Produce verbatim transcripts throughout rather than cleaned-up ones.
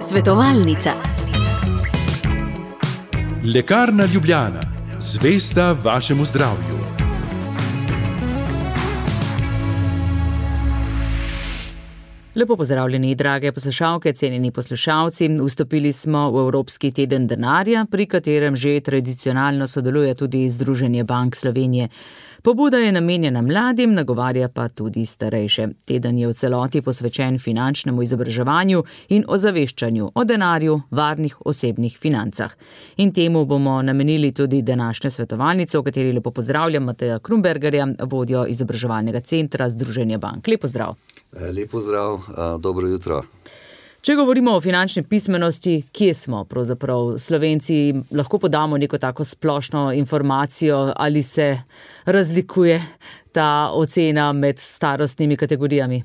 Svetovalnica. Lekarna Ljubljana, zvesta vašemu zdravju. Lepo pozdravljeni, drage poslušalke, cenjeni poslušalci. Vstopili smo v Evropski teden denarja, pri katerem že tradicionalno sodeluje tudi Združenje bank Slovenije. Pobuda je namenjena mladim, nagovarja pa tudi starejše. Teden je v celoti posvečen finančnemu izobraževanju in ozaveščanju o denarju, varnih osebnih financah. In temu bomo namenili tudi današnjo svetovalnico, v kateri lepo pozdravljam Mateja Krumbergerja, vodjo izobraževalnega centra Združenja bank. Lep pozdrav. Lep pozdrav, dobro jutro. Če govorimo o finančni pismenosti, kje smo pravzaprav? Slovenci lahko podamo neko tako splošno informacijo, ali se razlikuje ta ocena med starostnimi kategorijami?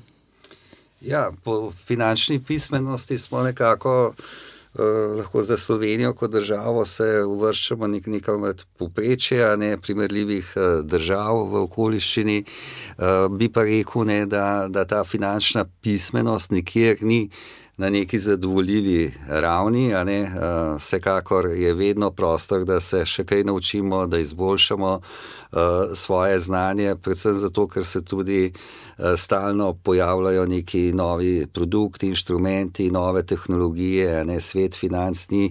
Ja, po finančni pismenosti smo nekako eh, lahko za Slovenijo kot državo se uvrščamo nek nekam med povprečje, ne primerljivih eh, držav v okoliščini. Eh, bi pa rekel, ne, da, da ta finančna pismenost nikjer ni na neki zadovoljivi ravni, a ne, vsekakor je vedno prostor, da se še kaj naučimo, da izboljšamo svoje znanje, predvsem zato, ker se tudi stalno pojavljajo neki novi produkti, inštrumenti, nove tehnologije, a ne, svet financ ni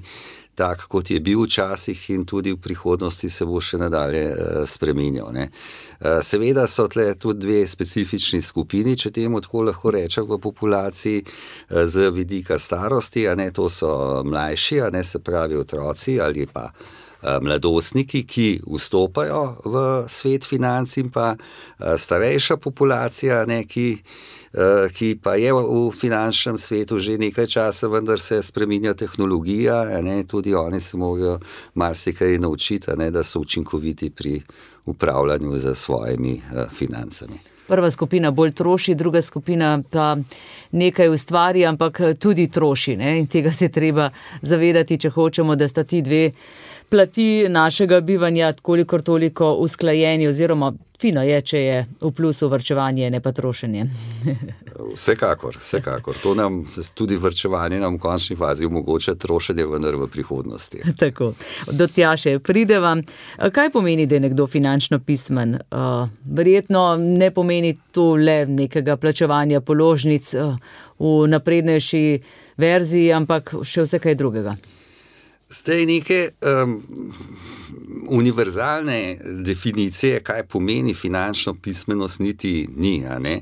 tak, kot je bil včasih in tudi v prihodnosti se bo še nadalje spreminjal, ne. Seveda so tle tudi dve specifični skupini, če temu tako lahko rečem, v populaciji z vidika starosti, a ne, to so mlajši, a ne, se pravi otroci ali pa mladostniki, ki vstopajo v svet financ, in pa starejša populacija, ne, ki ki pa je v finančnem svetu že nekaj časa, vendar se spreminja tehnologija, ne, tudi oni se morajo marsikaj naučiti, ne, da so učinkoviti pri upravljanju z svojimi financami. Prva skupina bolj troši, druga skupina pa nekaj ustvari, ampak tudi troši, ne, in tega se treba zavedati, če hočemo, da sta ti dve plati našega bivanja kolikor toliko usklajeni, oziroma fino je, če je v plusu varčevanje, ne pa trošenje. Vsekakor, vsekakor. To nam, tudi varčevanje nam v končni fazi omogoča trošenje, vendar v prihodnosti. Tako, do tja še prideva. Kaj pomeni, da je nekdo finančno pismen? Verjetno ne pomeni to le nekega plačevanja položnic v naprednejši verziji, ampak še vse kaj drugega. Zdaj neke um, univerzalne definicije, kaj pomeni finančno pismenost, niti ni, a ne.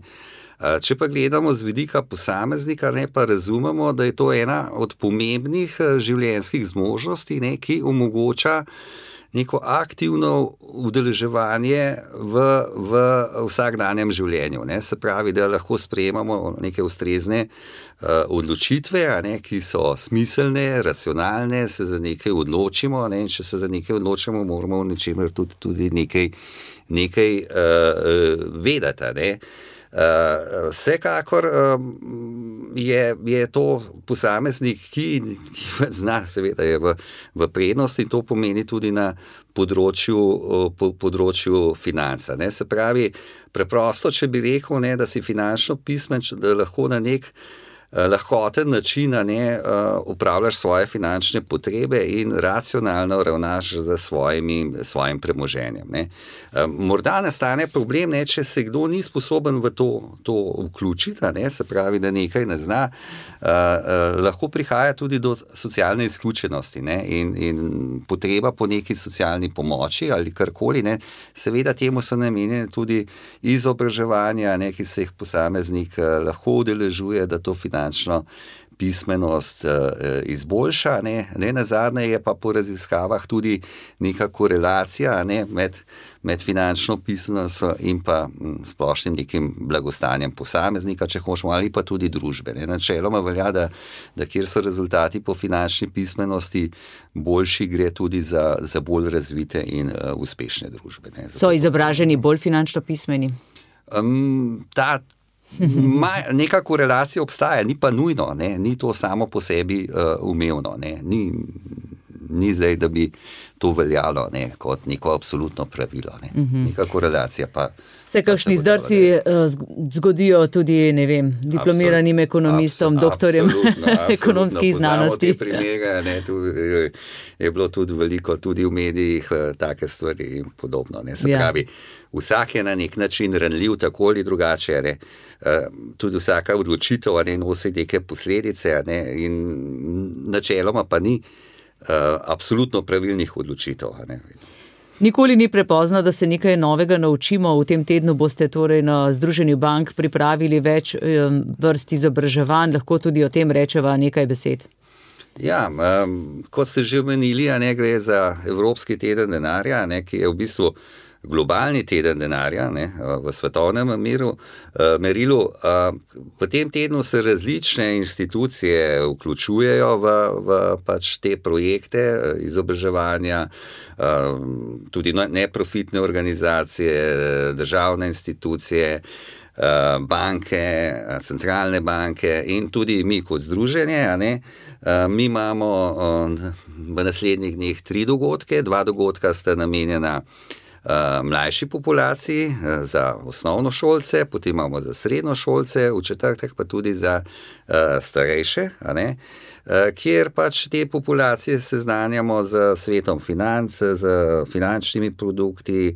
Če pa gledamo z vidika posameznika, ne, pa razumemo, da je to ena od pomembnih življenjskih zmožnosti, ne, ki omogoča neko aktivno udeleževanje v, v vsakdanjem življenju, ne. Se pravi, da lahko sprejemamo neke ustrezne uh, odločitve, a ne, ki so smiselne, racionalne, se za nekaj odločimo, ne, in če se za nekaj odločimo, moramo v nečemer tudi, tudi nekaj, nekaj uh, vedeti, ne. Uh, vsekakor uh, je, je to posameznik, ki, ki zna, seveda je v, v prednosti, in to pomeni tudi na področju, po, področju financa, ne. Se pravi, preprosto, če bi rekel, ne, da si finančno pismen, da lahko na nek lahkoten način, ne, upravljaš svoje finančne potrebe in racionalno ravnaš za svojimi, svojim premoženjem, ne. Morda nastane problem, ne, če se kdo ni sposoben v to, to vključiti, ne, se pravi, da nekaj ne zna, uh, uh, lahko prihaja tudi do socialne izključenosti, ne, in, in potreba po neki socialni pomoči ali karkoli, ne. Seveda temu so namenjene tudi izobraževanja, ne, ki se jih posameznik uh, lahko udeležuje, da to finančno finančno pismenost izboljša, ne, ne nazadnje je pa po raziskavah tudi neka korelacija, ne, med, med finančno pismenostjo in pa splošnim nekim blagostanjem posameznika, če hočemo, ali pa tudi družbe, ne. Načeloma velja, da, da kjer so rezultati po finančni pismenosti boljši, gre tudi za, za bolj razvite in uh, uspešne družbe, ne. So izobraženi bolj finančno pismeni? Um, ta Ma, neka korelacija obstaja, ni pa nujno, ne, ni to samo po sebi uh, umevno, ne, ni, ni zdaj, da bi to veljalo ne, kot neko absolutno pravilo. Ne. Uh-huh. Neka korelacija pa... Se kakšni zdrsi zgodijo tudi, ne vem, diplomiranim ekonomistom, absolut, doktorjem ekonomskih znanosti. Poznamo te primere, ne, tu je bilo tudi veliko, tudi v medijih, take stvari in podobno. Ne. Se ja. pravi, vsak je na nek način ranljiv, tako ali drugače, ne. Tudi vsaka odločitev ne, nosi neke posledice ne, in načeloma pa ni uh, absolutno pravilnih odločitev. Ne. Nikoli ni prepozno, da se nekaj novega naučimo. V tem tednu boste torej na Združenju bank pripravili več vrst izobraževanj, lahko tudi o tem rečeva nekaj besed. Ja, um, kot ste že omenili, ne gre za Evropski teden denarja, ne, ki je v bistvu globalni teden denarja ne, v svetovnem miru, merilu. V tem tednu se različne institucije vključujejo v, v pač te projekte izobraževanja, tudi neprofitne organizacije, državne institucije, banke, centralne banke in tudi mi kot združenje. A ne, mi imamo v naslednjih dneh tri dogodke, dva dogodka sta namenjena mlajši populaciji, za osnovnošolce, potem imamo za srednjošolce, v četrtek pa tudi za starejše, a ne, kjer pač te populacije seznanjamo z svetom financ, z finančnimi produkti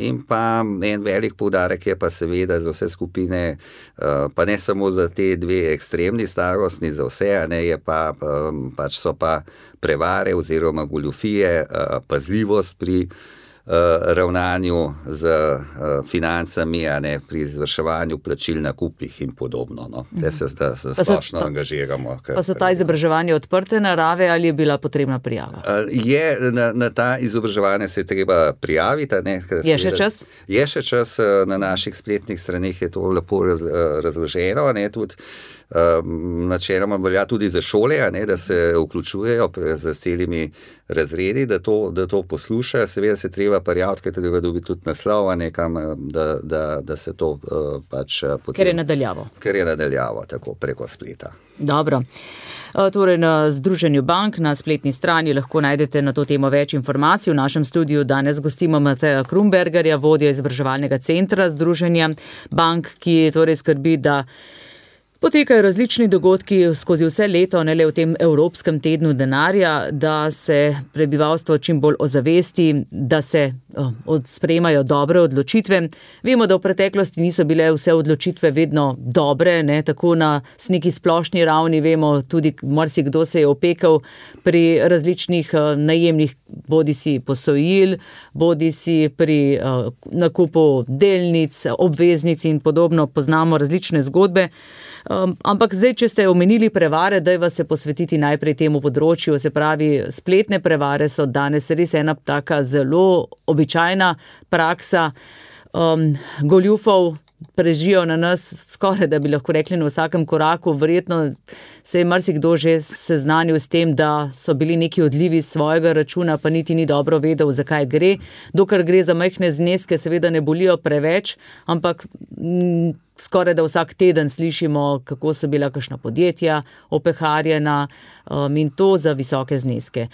in pa en velik poudarek je pa seveda za vse skupine, pa ne samo za te dve ekstremni starostni, za vse, a ne, je pa, pač so pa prevare oziroma goljufije, pazljivost pri ravnanju z financami, a ne, pri izvrševanju plačil na kupih in podobno. No. Te se da se splošno angažiramo. Pa so ta izobraževanja odprte narave ali je bila potrebna prijava? Je, na, na ta izobraževanje se je treba prijaviti. Ne, je še čas? Je še čas, na naših spletnih straneh je to lepo raz, razloženo, ne, tudi načeloma velja tudi za šole, a ne, da se vključujejo z celimi razredi, da to, da to poslušajo. Seveda se treba prijaviti, ker treba dobiti tudi naslov, nekam, da, da, da se to uh, pač potem... Ker je nadaljavo. Ker je nadaljavo, tako preko spleta. Dobro. Torej na Združenju bank na spletni strani lahko najdete na to temo več informacij. V našem studiu danes gostimo Mateja Krumbergerja, vodjo izobraževalnega centra Združenja bank, ki torej skrbi, da potekajo različni dogodki skozi vse leto, ne le v tem Evropskem tednu denarja, da se prebivalstvo čim bolj ozavesti, da se oh, sprejemajo dobre odločitve. Vemo, da v preteklosti niso bile vse odločitve vedno dobre, ne, tako na neki splošni ravni vemo, tudi marsikdo se je opekel pri različnih uh, najemnih bodisi posojil, bodisi pri uh, nakupu delnic, obveznic in podobno, poznamo različne zgodbe. Um, ampak zdaj, če ste omenili prevare, daj vas se posvetiti najprej temu področju, se pravi, spletne prevare so danes res ena taka zelo običajna praksa. Um, goljufov prežijo na nas skoraj, da bi lahko rekli na vsakem koraku. Verjetno se je marsikdo že seznanil s tem, da so bili neki odlivi svojega računa, pa niti ni dobro vedel, zakaj gre. Dokler gre za majhne zneske, seveda ne bolijo preveč, ampak m, skoraj da vsak teden slišimo, kako so bila kakšna podjetja opeharjena um, in to za visoke zneske.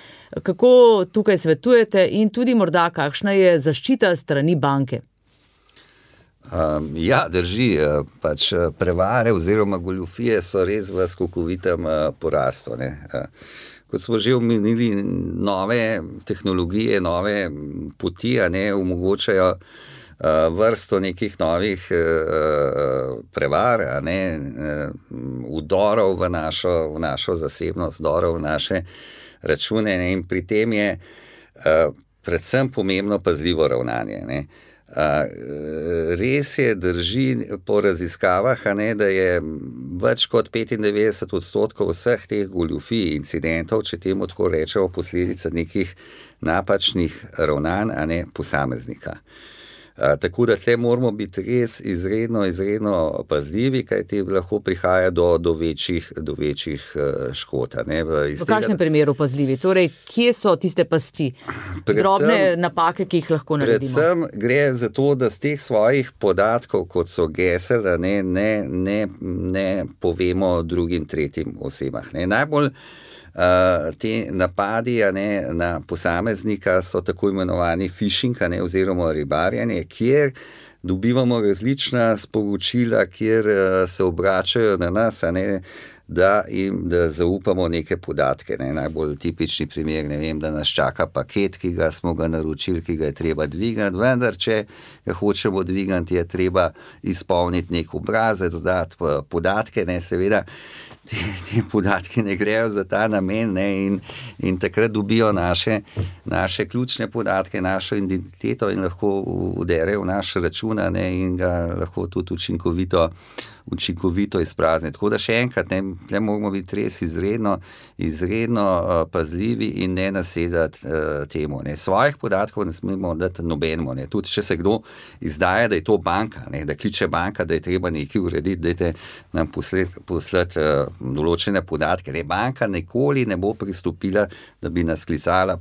Kako tukaj svetujete in tudi morda kakšna je zaščita strani banke? Um, ja, drži, pač prevare oziroma goljufije so res v skokovitem uh, porastu. Ne. Uh, kot smo že omenili, nove tehnologije, nove poti, a ne, omogočajo uh, vrsto nekih novih uh, prevar, a ne, uh, vdorov v našo, v našo zasebnost, vdorov v naše račune, ne, in pri tem je uh, predvsem pomembno pazljivo ravnanje, ne. Uh, res je, drži po raziskavah, a ne, da je več kot petindevetdeset odstotkov vseh teh goljufij incidentov, če temu tako rečemo, posledica nekih napačnih ravnanj, a ne, posameznika. Uh, tako da tle moramo biti res izredno, izredno pazljivi, kajti lahko prihaja do, do večjih, do večjih uh, škod. Ne, v, v kakšnem tega, primeru pazljivi? Torej, kje so tiste pasti? Predvsem, drobne napake, ki jih lahko naredimo? Predvsem gre za to, da z teh svojih podatkov, kot so gesel, ne, ne, ne, ne povemo drugim, tretjim osebah. Ne. Najbolj Uh, te napadi a ne, na posameznika so tako imenovani phishing, a ne, oziroma ribarjenje, kjer dobivamo različna sporočila, kjer uh, se obračajo na nas, a ne, da jim da zaupamo neke podatke. Ne. Najbolj tipični primer, ne vem, da nas čaka paket, ki ga smo ga naročili, ki ga je treba dvigati, vendar če ga hočemo dvigati, je treba izpolniti nek obrazec, dati podatke, ne, seveda. Te, te podatke ne grejo za ta namen, ne, in, in takrat dobijo naše, naše ključne podatke, našo identiteto in lahko uderejo v naš račun, ne, in ga lahko tudi učinkovito, učinkovito izprazniti. Tako da še enkrat, ne, tle moramo biti res izredno, izredno uh, pazljivi in ne nasedati uh, temu. Ne. Svojih podatkov ne smemo dati nobenemu. Ne. Tudi če se kdo izdaja, da je to banka, ne, da kliče banka, da je treba nekaj urediti, dajte nam poslati, poslati uh, določene podatke. Ne. Banka nikoli ne bo pristopila, da bi nas klicala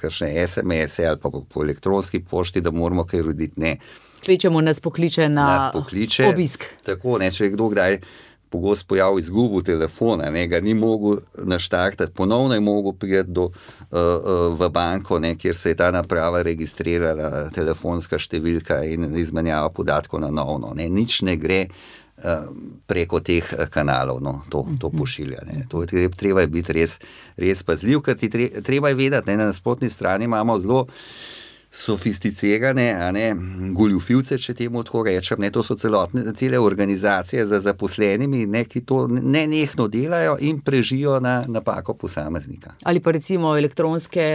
kakšne es em ese ali pa po, po elektronski pošti, da moramo kaj urediti. Ne. Kvečemo nas pokliče na nas pokliče, obisk. Tako, ne, če je kdo kdaj pogosto pojav izgubil telefona, ne, ga ni mogel naštartati, ponovno je mogel priti do, uh, uh, v banko, ne, kjer se je ta naprava registrirala, telefonska številka in izmenjava podatkov na novo. Ne. Nič ne gre uh, preko teh kanalov, no, to, to pošilja. Ne. To je treba biti res, res pazljiv, ker ti treba je vedeti, ne, na nasprotni strani imamo zelo sofisticirane, a ne, goljufivce, če temu tako rečem, ne, to so celotne, cele organizacije za zaposlenimi, ne, ki to nenehno delajo in prežijo na napako posameznika. Ali pa recimo elektronske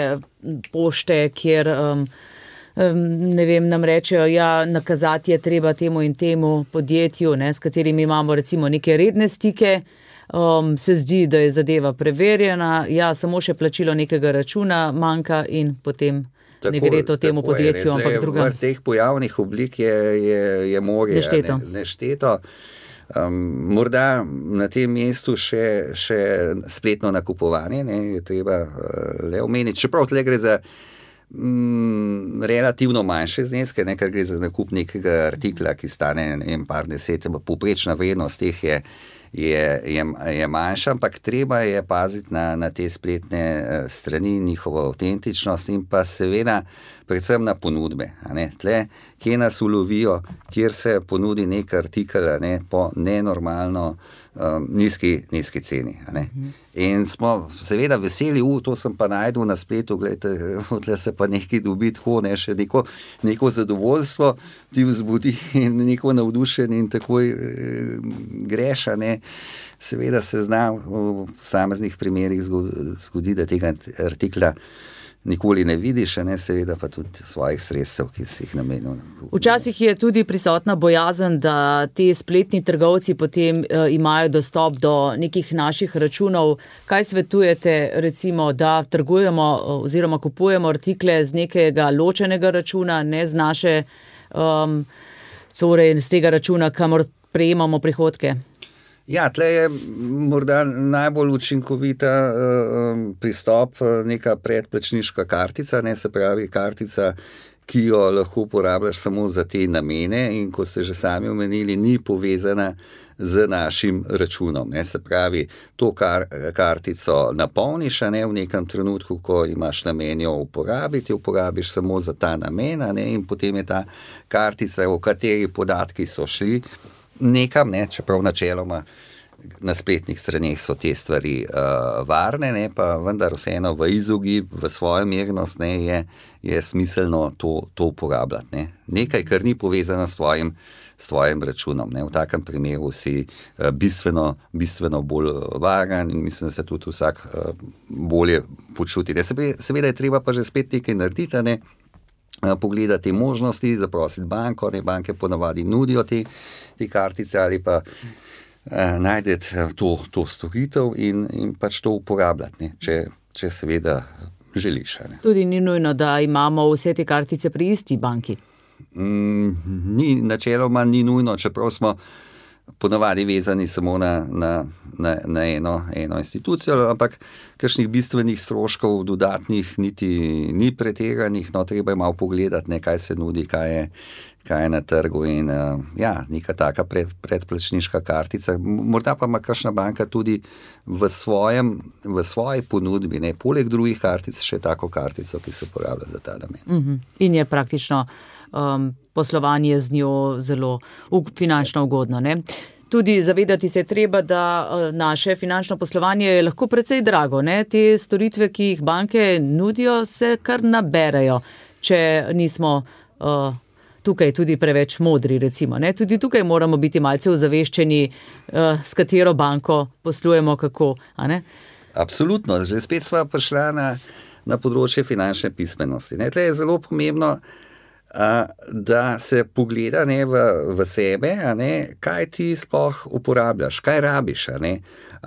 pošte, kjer um, um, ne vem, nam rečejo, ja, nakazati je treba temu in temu podjetju, ne, s katerimi imamo recimo neke redne stike, um, se zdi, da je zadeva preverjena, ja, samo še plačilo nekega računa manjka in potem Tako, ne gre to temu podjetju, je, ampak drugam. V teh pojavnih oblik je, je, je morje nešteto. Ne, nešteto. Um, morda na tem mestu še, še spletno nakupovanje, ne, je treba uh, le omeniti. Čeprav tle gre za mm, relativno manjše zneske, ne, ker gre za nakup nekega artikla, ki stane ne, par deset, poprečna vrednost teh je Je, je, je manjša, ampak treba je paziti na, na te spletne strani, njihovo avtentičnost in pa seveda predvsem na ponudbe. A ne. Tle, kje nas ulovijo, kjer se ponudi nek artikel, a ne, po nenormalno um, nizki, nizki ceni. A ne. In smo seveda veseli, u, to sem pa najdel na spletu, gledajte, odle se pa nekaj dobi tako, ne, še neko, neko zadovoljstvo ti vzbudi in neko navdušenje in takoj eh, greš, a ne. Seveda se zna v posameznih primerih zgodi, da tega artikla nikoli ne vidiš, ne, seveda pa tudi svojih sredstev, ki si jih namenil. Včasih je tudi prisotna bojazen, da ti spletni trgovci potem uh, imajo dostop do nekih naših računov. Kaj svetujete, recimo, da trgujemo oziroma kupujemo artikle z nekega ločenega računa, ne z naše, um, torej z tega računa, kamor prejemamo prihodke? Ja, tle je morda najbolj učinkovita uh, pristop neka predplačniška kartica, ne, se pravi kartica, ki jo lahko uporabljaš samo za te namene in ko ste že sami omenili, ni povezana z našim računom. Ne, se pravi, to kar, kartico napolniš, ne, v nekem trenutku, ko imaš namen jo uporabiti, uporabiš samo za ta namen, ne, in potem je ta kartica, o kateri podatki so šli nekam, ne, čeprav načeloma na spletnih straneh so te stvari uh, varne, ne, pa vendar vseeno v izogib, v svojo mernost, ne, je, je smiselno to, to uporabljati. Ne. Nekaj, kar ni povezano s tvojim, s tvojim računom. Ne. V takem primeru si uh, bistveno, bistveno bolj varen in mislim, da se tudi vsak uh, bolje počuti. Ne. Seveda je treba pa že spet nekaj narediti, ne. Pogledati možnosti, zaprositi banko, ne, banke ponavadi nudijo te, te kartice ali pa eh, najdeti to, to storitev in, in pač to uporabljati, ne, če, če seveda želiš. Ne. Tudi ni nujno, da imamo vse te kartice pri isti banki. Mm, ni, načeloma ni nujno, čeprav smo ponavadi vezani samo na, na na, na eno, eno institucijo, ampak kakšnih bistvenih stroškov dodatnih niti ni preteganih, no treba je malo pogledati, ne, kaj se nudi, kaj je, kaj je na trgu in uh, ja, neka taka pred, predplačniška kartica. Morda pa ima kakšna banka tudi v, svojem, v svoji ponudbi, ne, poleg drugih kartic, še tako kartico, ki se uporablja za ta namen. Uh-huh. In je praktično um, poslovanje z njo zelo finančno ugodno, ne? Tudi zavedati se je treba, da naše finančno poslovanje je lahko precej drago, ne? Te storitve, ki jih banke nudijo, se kar naberajo, če nismo uh, tukaj tudi preveč modri, recimo, ne? Tudi tukaj moramo biti malce ozaveščeni, uh, s katero banko poslujemo, kako, a ne? Absolutno, že spet sva prišla na, na področje finančne pismenosti. Ne? Tle je zelo pomembno, a, da se pogleda, ne, v, v sebe, a ne, kaj ti sploh uporabljaš, kaj rabiš, a ne.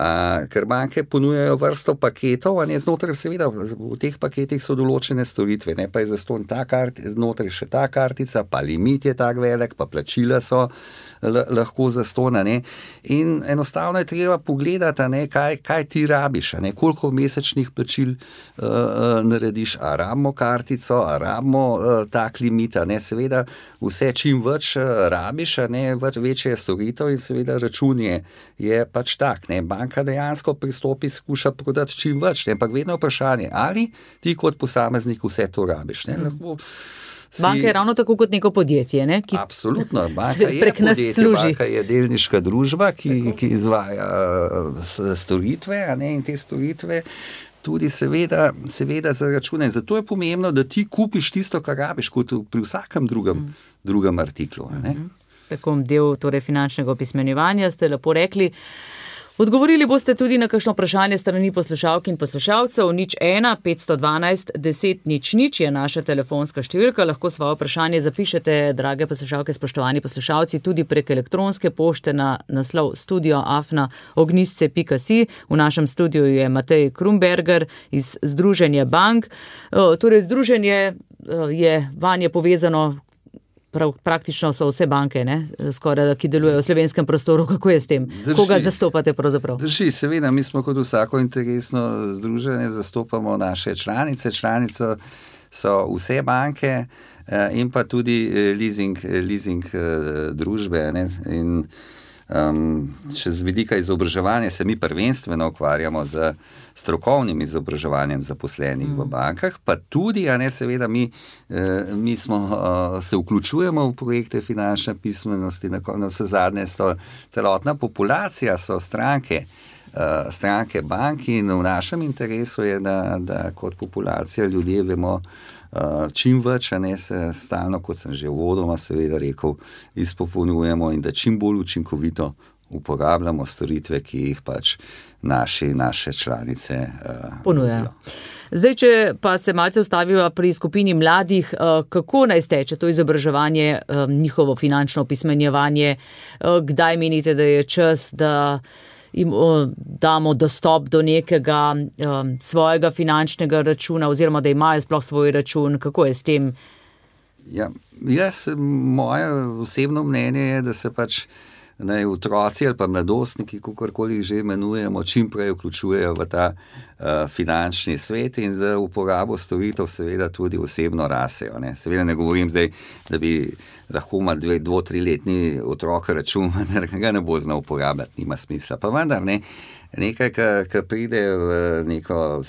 A, ker banke ponujajo vrsto paketov, a ne, znotraj seveda v teh paketih so določene storitve, ne, pa je zastonj ta kart, znotraj še ta kartica, pa limit je tak velik, pa plačila so l- lahko zastonj, a ne. In enostavno je treba pogledati, a ne, kaj, kaj ti rabiš, a ne, koliko mesečnih plačil uh, uh, narediš, a rabimo kartico, a rabimo uh, tak limit, a ne, seveda vse čim več uh, rabiš, a ne, več, večje je storitev in seveda račun je, je pač tak, ne, banka dejansko pristopi, skuša prodati čim več, ne, ampak vedno vprašanje, ali ti kot posameznik vse to rabiš, ne, lahko si... Banka je ravno tako kot neko podjetje, ne? Ki absolutno, banka je podjetje, banka je delniška družba, ki, ki izvaja storitve, a ne, in te storitve tudi seveda, seveda za račune. Zato je pomembno, da ti kupiš tisto, kar rabiš, kot pri vsakem drugem, mm. drugem artiklu, a ne. Mm-hmm. Tako del torej finančnega opismenjevanja ste lepo rekli. Odgovorili boste tudi na kakšno vprašanje strani poslušalk in poslušalcev. Nič ena, petsto dvanajst, deset, nič, nič je naša telefonska številka. Lahko svoje vprašanje zapišete, drage poslušalke, spoštovani poslušalci, tudi prek elektronske pošte na naslov studio afna ognjisce pika si. V našem studiu je Matej Krumberger iz Združenja bank. Torej, združenje je vanje povezano. Prav, praktično so vse banke, ne, skoraj, ki delujejo v slovenskem prostoru. Kako je s tem? Drži, koga zastopate pravzaprav? Drži, seveda, mi smo kot vsako interesno združenje, zastopamo naše članice. Članice so vse banke in pa tudi leasing, leasing družbe, ne, in Um, če z vidika izobraževanja se mi prvenstveno ukvarjamo z strokovnim izobraževanjem zaposlenih mm. v bankah, pa tudi, a ne, seveda mi, eh, mi smo, uh, se vključujemo v projekte finančne pismenosti, na, na vse zadnje so celotna populacija, so stranke, uh, stranke bank in v našem interesu je, da, da kot populacija ljudje vemo, Uh, čim več, a ne, se stalno, kot sem že uvodoma seveda rekel, izpopolnjujemo in da čim bolj učinkovito uporabljamo storitve, ki jih pač naši, naše članice uh, ponujajo. Zdaj, če pa se malce ustavimo pri skupini mladih, uh, kako naj steče to izobraževanje, uh, njihovo finančno opismenjevanje, uh, kdaj menite, da je čas, da jim damo dostop do nekega um, svojega finančnega računa oziroma da imajo sploh svoj račun, kako je s tem? Ja, jaz, moje osebno mnenje je, da se pač naj otroci ali pa mladostniki, kakorkoli jih že imenujemo, čim prej vključujejo v ta uh, finančni svet in za uporabo storitev seveda tudi osebno rasejo. Ne. Seveda ne govorim zdaj, da bi lahko ima dve, dvo, tri letni otrok račun, da ga ne bo znal uporabljati, nima smisla. Pa vendar ne, nekaj, kar pride v neko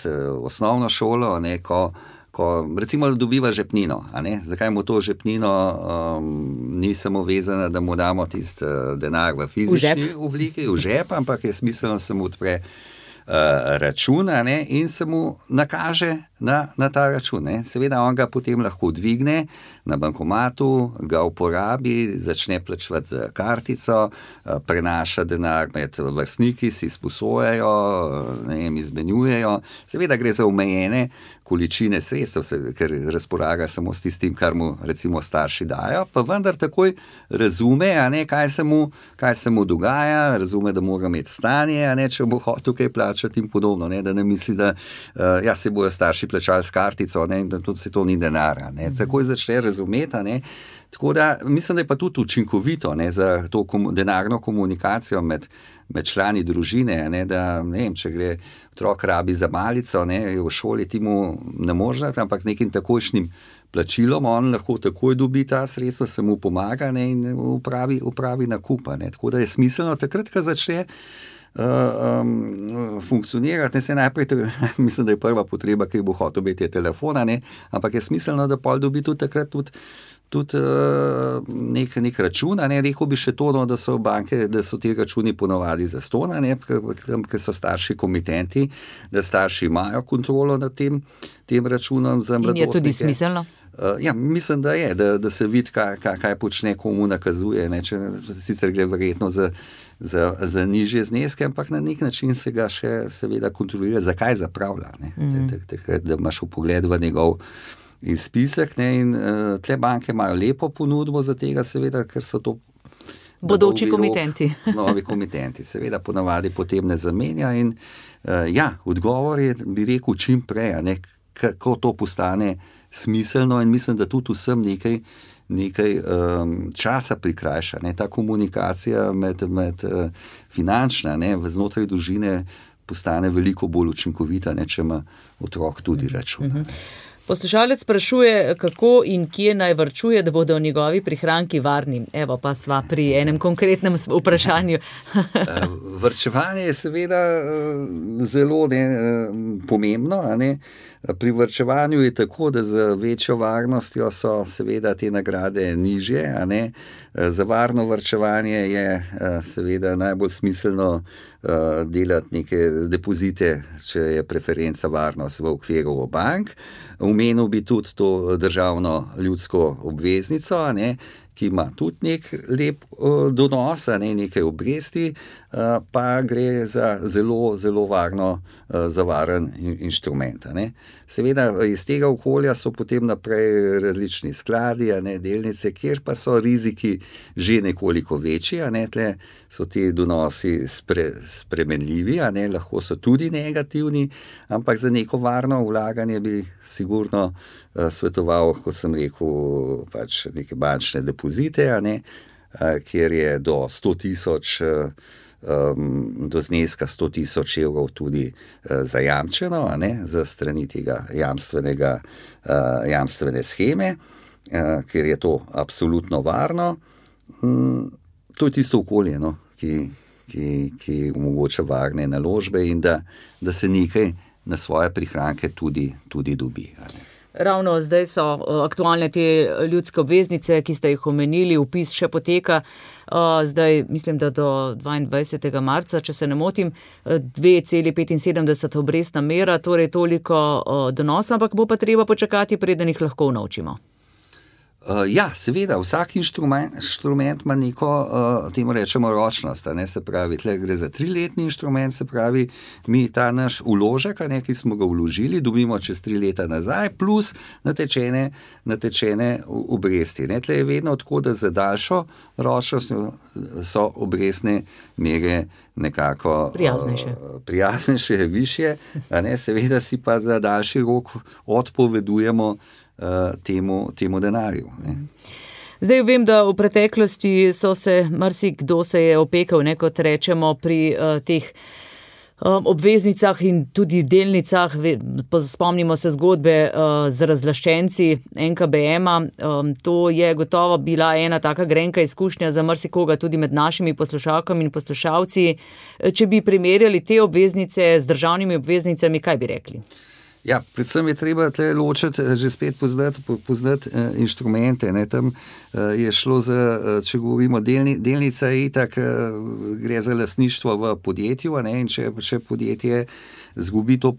osnovno šolo, neko ko recimo dobiva žepnino, a ne? Zakaj mu to žepnino um, ni samo vezana, da mu damo tisti uh, denar v fizični v obliki, v žep, ampak je smiselno, se mu odpre uh, račun, a ne? In se mu nakaže na, na ta račun. Ne? Seveda on ga potem lahko dvigne na bankomatu, ga uporabi, začne plačevati z kartico, uh, prenaša denar med vrstniki, si sposojajo, ne vem, izmenjujejo. Seveda gre za omejene količine sredstev, ker razpolaga samo s tistim, kar mu recimo starši dajo, pa vendar takoj razume, a ne, kaj se mu, kaj se mu dogaja, razume, da mora imeti stanje, a ne, če bo hotel kaj plačati in podobno, ne, da ne misli, da uh, ja, se bojo starši plačali s kartico, ne, in da tudi se to ni denar. Takoj začne razumeti. Ne. Tako da mislim, da je pa tudi učinkovito, ne, za to kom, denarno komunikacijo med, med člani družine, ne, da ne vem, če gre otrok rabi za malico, ne, v šoli ti mu ne možeš, ampak z nekim takojšnjim plačilom on lahko takoj dobi ta sredstva, se mu pomaga, ne, in upravi, upravi nakupa. Ne. Tako da je smiselno takrat, ko začne uh, um, funkcionirati, ne, se najprej, mislim, da je prva potreba, ki bo hotel biti, je telefona, ne, ampak je smiselno, da pol dobi tudi takrat tudi tudi uh, nek, nek račun, ne, rekel bi še to, no, da so banke, da so ti računi ponovadi za stona, ne, ker so starši komitenti, da starši imajo kontrolo nad tem, tem računom za mladostnike. In je tudi smiselno? Uh, ja, mislim, da je, da, da se vidi, kaj, kaj, kaj počne, komu nakazuje, ne, če sicer gre verjetno za, za, za nižje zneske, ampak na nek način se ga še seveda kontrolira, zakaj zapravlja, ne, mm. da, da, da imaš vpogled v njegov izpisek, ne, in uh, tle banke imajo lepo ponudbo za tega, seveda, ker so to bodoči komitenti. Novi komitenti, seveda ponavadi potem ne zamenja in uh, ja, odgovor je, bi rekel, čim prej, ne, kako to postane smiselno in mislim, da tudi vsem nekaj, nekaj um, časa prikrajša, ne, ta komunikacija med, med uh, finančna, ne, znotraj družine postane veliko bolj učinkovita, ne, če ima otrok tudi račun. Mm-hmm. Poslušalec sprašuje, kako in kje naj varčuje, da bodo njegovi prihranki varni. Evo pa sva pri enem konkretnem vprašanju. Varčevanje je seveda zelo ne, pomembno. A ne? Pri varčevanju je tako, da z večjo varnostjo so seveda te nagrade nižje. A ne? Za varno varčevanje je seveda najbolj smiselno delati neke depozite, če je preferenca varnost v okviru bank. Omenil bi tudi to državno ljudsko obveznico, ne, ki ima tudi nek lep uh, donos, ne, nekaj obresti, uh, pa gre za zelo, zelo varno, uh, zavaren in, inštrument. Ne. Seveda iz tega okolja so potem naprej različni skladi, ne, delnice, kjer pa so riziki že nekoliko večji, ne, tle so ti donosi spre, spremenljivi, ne, lahko so tudi negativni, ampak za neko varno vlaganje bi sigurno uh, svetoval, kot sem rekel, pač neke bančne depozite, ne, uh, kjer je do sto tisoč uh, Um, do zneska sto tisoč evrov tudi uh, zajamčeno, a ne, za strani tega jamstvenega, uh, jamstvene scheme, uh, ker je to absolutno varno. Um, to je tisto okolje, no, ki, ki, ki omogoča varne naložbe in da, da se nekaj na svoje prihranke tudi, tudi dobi. A ne. Ravno zdaj so aktualne te ljudske obveznice, ki ste jih omenili, vpis še poteka. Zdaj, mislim, da do dvaindvajsetega marca, če se ne motim, dve cela petinsedemdeset obrestna mera, torej toliko donosa, ampak bo pa treba počakati, preden jih lahko unovčimo. Uh, ja, seveda, vsak inštrument, inštrument ima neko, uh, temu rečemo, ročnost, ne, se pravi, tle gre za triletni inštrument, se pravi, mi ta naš vložek, ne, ki smo ga vložili, dobimo čez tri leta nazaj, plus natečene, natečene obresti. Ne. Tle je vedno tako, da za daljšo ročnost so obrestne mere nekako prijaznejše, uh, prijaznejše višje, a ne, seveda si pa za daljši rok odpovedujemo Temu, temu denarju. Ne. Zdaj vem, da v preteklosti so se, marsikdo se je opekal, ne, kot rečemo, pri uh, teh um, obveznicah in tudi delnicah. Spomnimo se zgodbe uh, z razlaščenci en ka be ema. Um, to je gotovo bila ena taka grenka izkušnja za marsikoga, tudi med našimi poslušalkami in poslušalci. Če bi primerjali te obveznice z državnimi obveznicami, kaj bi rekli? Ja, predvsem je treba tle ločiti, že spet poznati, poznati uh, inštrumente. Ne. Tam uh, je šlo za, uh, če govorimo, delni, delnica je itak, uh, gre za lastništvo v podjetju, ne, in če, če podjetje zgubi to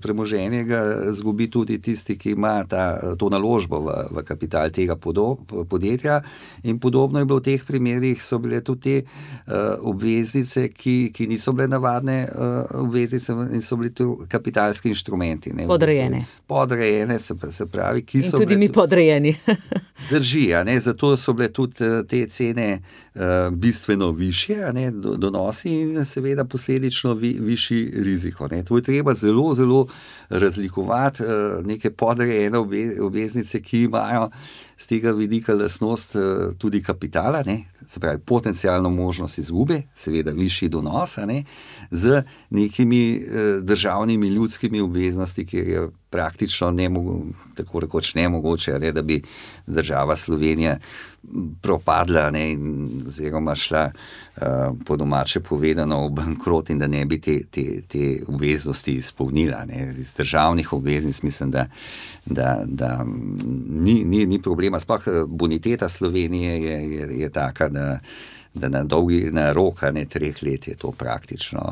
premoženje, ga zgubi tudi tisti, ki ima ta, to naložbo v, v kapital tega podo, podjetja. In podobno je bilo v teh primerih, so bile tudi te uh, obveznice, ki, ki niso bile navadne uh, obveznice in so bili tu kapitalski inštrumenti. Ne, podrejene. Podrejene, se, se pravi, ki so in tudi bile, mi podrejeni. Drži, a ne, zato so bile tudi te cene uh, bistveno višje, a ne, donosi in seveda posledično vi, višji rizik. riziko. Ne. To je treba zelo, zelo razlikovati neke podrejene obveznice, ki imajo z tega vidika lastnost tudi kapitala, ne, se pravi potencialno možnost izgube, seveda višji donos, ne, z nekimi državnimi ljudskimi obveznosti, kjer je praktično nemogo, tako rekoč nemogoče, ne, da bi država Slovenija propadla, ne, oziroma šla uh, po domače povedano v bankrot in da ne bi te, te, te obveznosti izpolnila. Ne. Iz državnih obveznic mislim, da, da, da ni, ni, ni problema. Sploh boniteta Slovenije je, je, je taka, da da na dolgi, na roka, ne treh let je to praktično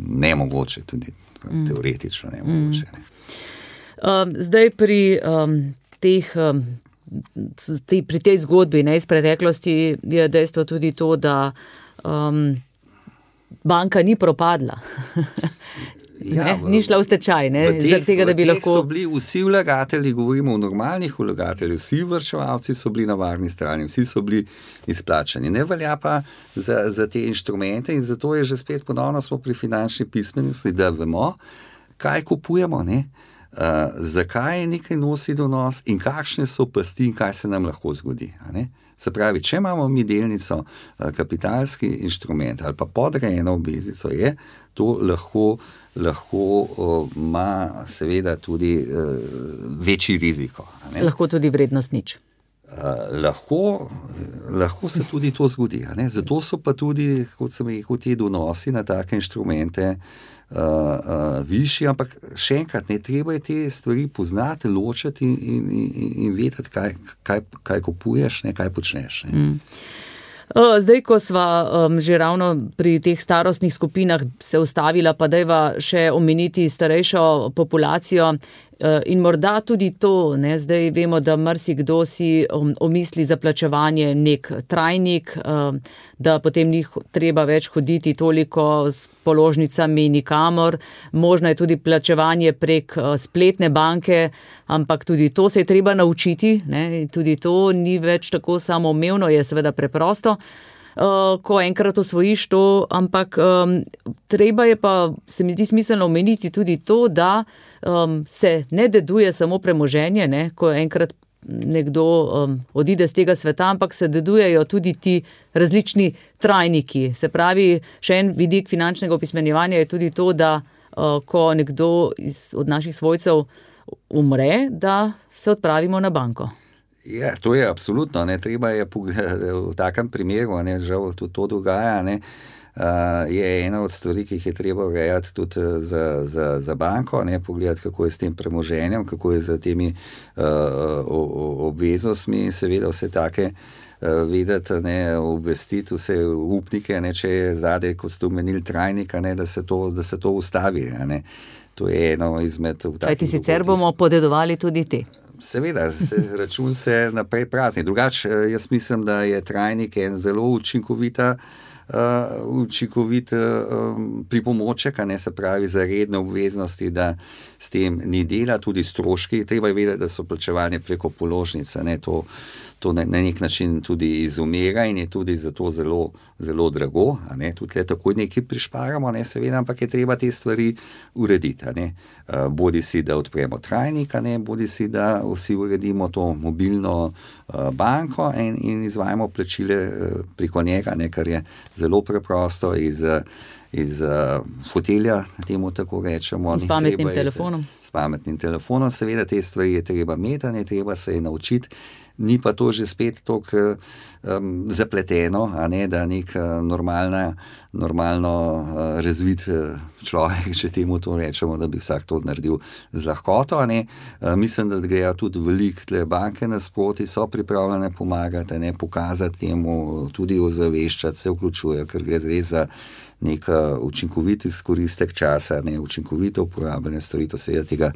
nemogoče, tudi mm. teoretično nemogoče. Ne. Um, zdaj pri um, teh, um, te, pri tej zgodbi, ne, iz preteklosti je dejstvo tudi to, da um, banka ni propadla. Ja, v, ni šla v stečaj, ne, zaradi tega, da bi lahko... so bili vsi vlagatelji, govorimo o normalnih vlagateljih, vsi vrčevalci so bili na varni strani, vsi so bili izplačani. Ne velja pa za, za te inštrumente in zato je že spet ponovno smo pri finančni pismenosti, da vemo, kaj kupujemo, ne, uh, zakaj nekaj nosi donos in kakšne so pasti in kaj se nam lahko zgodi. Ne. Se pravi, če imamo mi delnico, kapitalski inštrument ali pa podrejeno obveznico, je to lahko, lahko ima seveda tudi uh, večji riziko. Ne? Lahko tudi vrednost nič. Uh, lahko, lahko se tudi to zgodi. Ne? Zato so pa tudi, kot sem rekel, ti donosi na take inštrumente uh, uh, višji, ampak še enkrat, ne treba je te stvari poznati, ločiti in, in, in vedeti, kaj, kaj, kaj kupuješ, ne, kaj počneš. Ne? Mm. Zdaj, ko sva um, že ravno pri teh starostnih skupinah se ustavila, pa dajva še omeniti starejšo populacijo in morda tudi to, ne, zdaj vemo, da marsikdo si um, omisli za plačevanje nek trajnik, um, da potem ni treba več hoditi toliko s položnicami nikamor, možno je tudi plačevanje prek uh, spletne banke, ampak tudi to se je treba naučiti, ne, tudi to ni več tako samoumevno, je seveda preprosto. Uh, ko enkrat osvojiš to, ampak um, treba je pa, se mi zdi smiselno omeniti tudi to, da um, se ne deduje samo premoženje, ne, ko enkrat nekdo um, odide z tega sveta, ampak se dedujejo tudi ti različni trajniki. Se pravi, še en vidik finančnega opismenjevanja je tudi to, da uh, ko nekdo iz, od naših svojcev umre, da se odpravimo na banko. Ja, to je absolutno, ne, treba je v takem primeru, ne, žal tudi to dogaja, ne, uh, je ena od stvari, ki jih je treba urejati tudi za, za, za banko, ne, pogledati, kako je s tem premoženjem, kako je z temi uh, obveznostmi, seveda vse take uh, vedeti, ne, obvestiti vse upnike, ne, če je zadej, kot ste omenili, trajnika, ne, da se to, da se to ustavi, ne. To je eno izmed... Kaj ti sicer bomo podedovali tudi te? Seveda, se, račun se naprej prazni. Drugače, jaz mislim, da je trajnik en zelo učinkovita, uh, učinkovit uh, pripomoček, a ne, se pravi za redne obveznosti, da s tem ni dela, tudi stroški. Treba je vedeti, da so plačevanje preko položnice, ne, to, to na, na nek način tudi izumira in je tudi zato zelo, zelo drago, a ne, tudi le takoj nekaj prišparamo, ne, seveda, ampak je treba te stvari urediti, a ne. Uh, bodi si, da odpremo trajnik, a ne, bodi si, da vsi uredimo to mobilno uh, banko in, in izvajamo plačile uh, preko njega, ne, kar je zelo preprosto iz, iz uh, fotelja, temu tako rečemo. S pametnim telefonom. S pametnim telefonom, seveda te stvari je treba imeti, ne, treba se je naučiti. Ni pa to že spet toliko um, zapleteno, a ne, da nek uh, normalna, normalno uh, razvit uh, človek, če temu to rečemo, da bi vsak to naredil z lahkoto, a ne. Uh, mislim, da grejo tudi veliko tle banke nasproti, so pripravljene pomagati, ne, pokazati temu, tudi ozaveščati, se vključujejo, ker gre res za nek učinkovit izkoristek časa, ne, učinkovito uporabljanje storitev, seveda tega,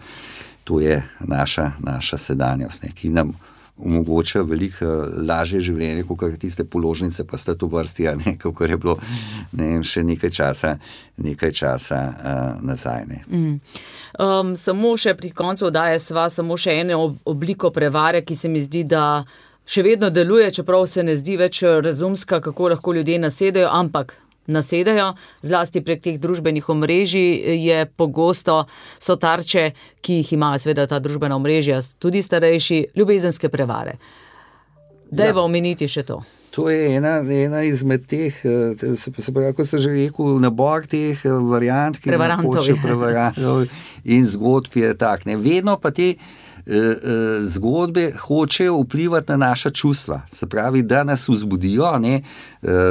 to je naša, naša sedanjost, ne, ki nam omogoča veliko lažje življenje, kot tiste položnice, pa sta to vrsti, a ne, kot je bilo, ne vem, še nekaj časa, nekaj časa uh, nazaj. Ne. Mm. Um, samo še pri koncu oddaje sva samo še eno obliko prevare, ki se mi zdi, da še vedno deluje, čeprav se ne zdi več razumska, kako lahko ljudje nasedajo, ampak nasedajo, zlasti prek teh družbenih omrežij je pogosto so tarče, ki jih imajo seveda ta družbena omrežja, tudi starejši, ljubezenske prevare. Dajva ja. Omeniti še to. To je ena, ena izmed teh, se, se pravi, kot ste že rekel, nabor teh variant, ki nam hoče prevarantov in zgodb je tak. Ne? Vedno pa te zgodbe hočejo vplivati na naša čustva. Se pravi, da nas vzbudijo, ne?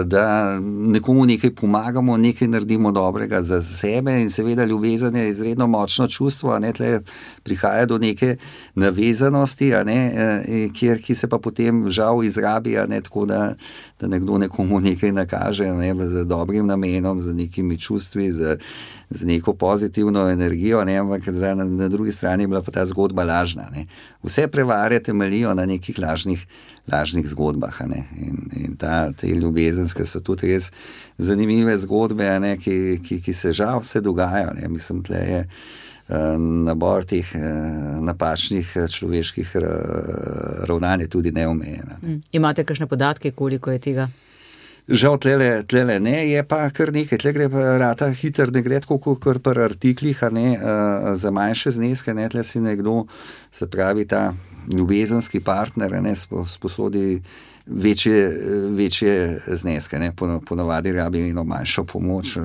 Da nekomu nekaj pomagamo, nekaj naredimo dobrega za sebe in seveda ljubezen je izredno močno čustvo, a ne, tle prihaja do neke navezanosti, a ne, kjer, ki se pa potem žal izrabi, a ne, tako da, da nekdo nekomu nekaj nakaže, ne, z dobrim namenom, z nekimi čustvi, z, z neko pozitivno energijo, ne, ampak na, na drugi strani je bila pa ta zgodba lažna. Ne. Vse prevare temeljijo na nekih lažnih, lažnih zgodbah, a ne. In, in ta, te ljubezenske so tudi res zanimive zgodbe, a ne, ki, ki, ki se žal vse dogajajo. Ne. Mislim, tle je uh, nabor teh uh, napačnih človeških uh, ravnanj tudi neomejen. Ne. Mm. Imate kakšne podatke, koliko je tega? Žal tlele, tlele ne, je pa kar nekaj, tle gre pa rata hiter, ne gre tako kar par artiklih, a ne, uh, za manjše zneske, ne, tle si nekdo, se pravi ta ljubezenski partner, ne, sposodi večje, večje zneske, ne, ponavadi rabi eno manjšo pomoč,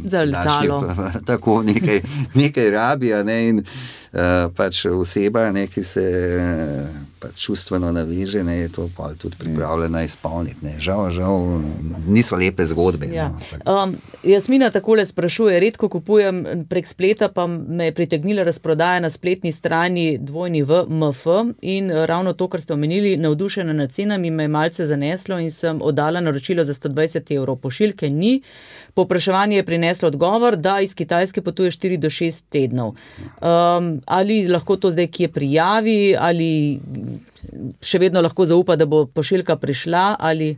za letalo. Tako nekaj, nekaj rabi, a ne, in uh, pač oseba, ne, ki se pač čustveno naveže, ne, je to pa tudi pripravljena izpolniti, ne. Žal, žal, niso lepe zgodbe. Ja. No. Um, Jasmina takole sprašuje, redko kupujem prek spleta, pa me je pritegnila razprodaja na spletni strani dvojni v M F in ravno to, kar ste omenili, navdušena nad cenami, me je malce zaneslo in sem oddala naročilo za sto dvajset evrov. Pošiljke ni. Povpraševanje je prineslo odgovor, da iz Kitajske potuje štiri do šest tednov. Um, ali lahko to zdaj kje prijavi, ali še vedno lahko zaupa, da bo pošiljka prišla, ali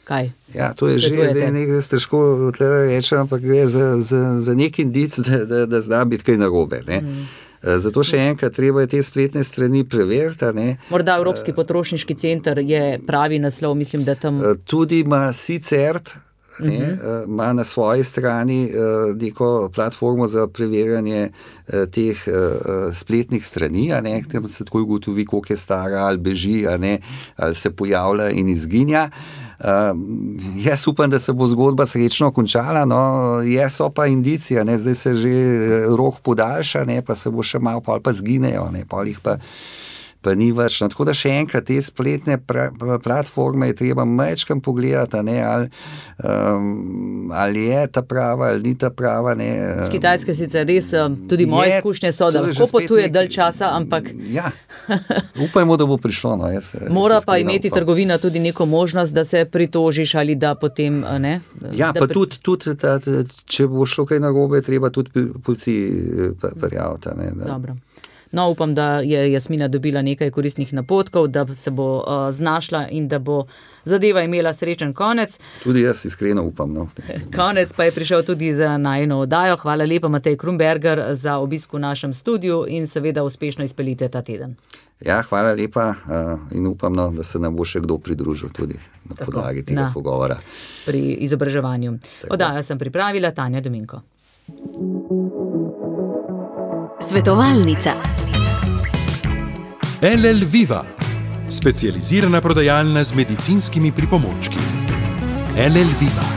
kaj? Ja, to je že zdaj nekaj težko reči, ampak gre za, za, za nek indic, da, da, da zna biti kaj narobe, ne. Mm. Zato še enkrat treba je te spletne strani preveriti. Ne? Morda Evropski potrošniški center je pravi naslov, mislim, da tam... Tudi ima SICERT, ne, uh-huh. ima na svoji strani neko platformo za preverjanje teh spletnih strani, a ne, tam se tako ugotovi, koliko je stara, ali beži, a ne, ali se pojavlja in izginja. Uh, jaz upam, da se bo zgodba srečno končala, no, je so pa indicija, ne, zdaj se že rok podaljša, ne, pa se bo še malo, pol pa zginejo, ne, pol jih pa, pa ni več. No, tako da še enkrat, te spletne pra, platforme je treba majčkam pogledati, ne, ali, um, ali je ta prava, ali ni ta prava. Ne. Z Kitajske sicer res, tudi moje je, izkušnje so, da lahko potuje nek... dalj časa, ampak... Ja, upajmo, da bo prišlo. No, jaz, Mora jaz pa imeti upam. Trgovina tudi neko možnost, da se pritožiš ali da potem, ne? Da, ja, da pa pri... tudi, tudi ta, če bo šlo kaj narobe, treba tudi policiji prijaviti. Ne, da... Dobro. No, upam, da je Jasmina dobila nekaj koristnih napotkov, da se bo uh, znašla in da bo zadeva imela srečen konec. Tudi jaz iskreno upam. No. Konec pa je prišel tudi za najino oddajo. Hvala lepa, Matej Krumberger, za obisk v našem studiu in seveda uspešno izpeljite ta teden. Ja, hvala lepa uh, in upam, no, da se nam bo še kdo pridružil tudi na Tako, podlagi tega na, pogovora. Pri izobraževanju. Tako. Oddajo sem pripravila, Tanja Dominko. Svetovalnica. L L Viva, specializirana prodajalna z medicinskimi pripomočki. L L Viva.